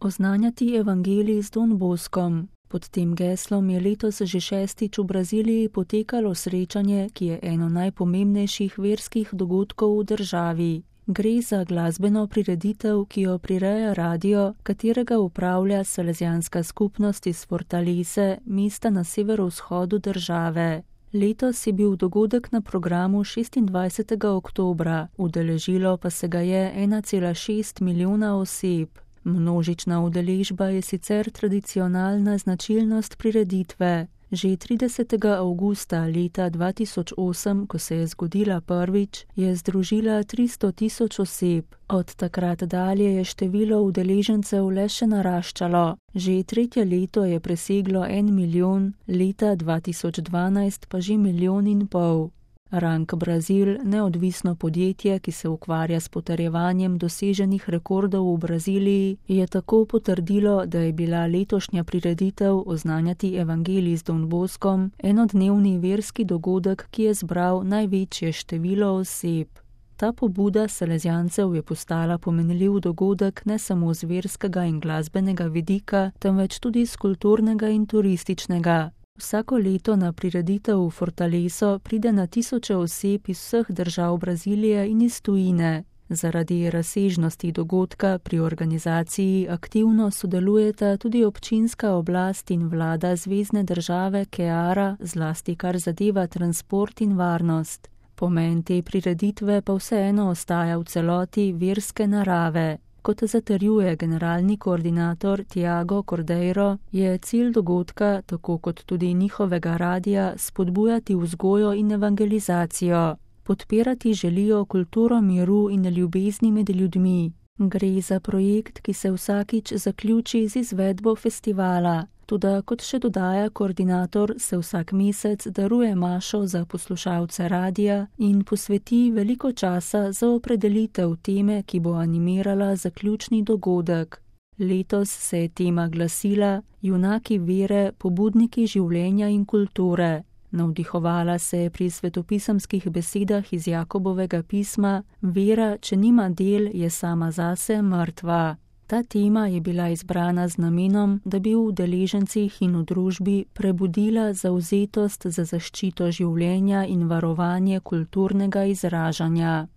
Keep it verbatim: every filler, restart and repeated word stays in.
Oznanjati evangelij z Don Boskom. Pod tem geslom je letos že šestič v Braziliji potekalo srečanje, ki je eno najpomembnejših verskih dogodkov v državi. Gre za glasbeno prireditev, ki jo prireja radio, katerega upravlja Salezijanska skupnost iz Fortalece, mesta na severovzhodu države. Letos je bil dogodek na programu šestindvajsetega oktobra, udeležilo pa se ga je ena cela šest milijona oseb. Množična udeležba je sicer tradicionalna značilnost prireditve. Že tridesetega avgusta leta dva tisoč osem, ko se je zgodila prvič, je združila tristo tisoč oseb. Od takrat dalje je število udeležencev le še naraščalo. Že tretje leto je preseglo en milijon, leta dva tisoč dvanajst pa že milijon in pol. Rank Brazil, neodvisno podjetje, ki se ukvarja s potrjevanjem doseženih rekordov v Braziliji, je tako potrdilo, da je bila letošnja prireditev Oznanjati evangelij z Don Boskom enodnevni verski dogodek, ki je zbral največje število oseb. Ta pobuda Salezijancev je postala pomenljiv dogodek ne samo z verskega in glasbenega vidika, temveč tudi z kulturnega in turističnega. Vsako leto na prireditev v Fortaleso pride na tisoče oseb iz vseh držav Brazilije in iz tujine. Zaradi razsežnosti dogodka pri organizaciji aktivno sodelujeta tudi občinska oblast in vlada zvezne države Ceará, zlasti kar zadeva transport in varnost. Pomen te prireditve pa vseeno ostaja v celoti verske narave. Kot zatrjuje generalni koordinator Tiago Cordeiro, je cilj dogodka, tako kot tudi njihovega radia, spodbujati vzgojo in evangelizacijo. Podpirati želijo kulturo miru in ljubezni med ljudmi. Gre za projekt, ki se vsakič zaključi z izvedbo festivala. Toda, kot še dodaja koordinator, se vsak mesec daruje mašo za poslušalce radia in posveti veliko časa za opredelitev teme, ki bo animirala zaključni dogodek. Letos se je tema glasila Junaki vere, pobudniki življenja in kulture. Navdihovala se je pri svetopisemskih besedah iz Jakobovega pisma: Vera, če nima del, je sama zase mrtva. Ta tema je bila izbrana z namenom, da bi v udeležencih in v družbi prebudila zavzetost za zaščito življenja in varovanje kulturnega izražanja.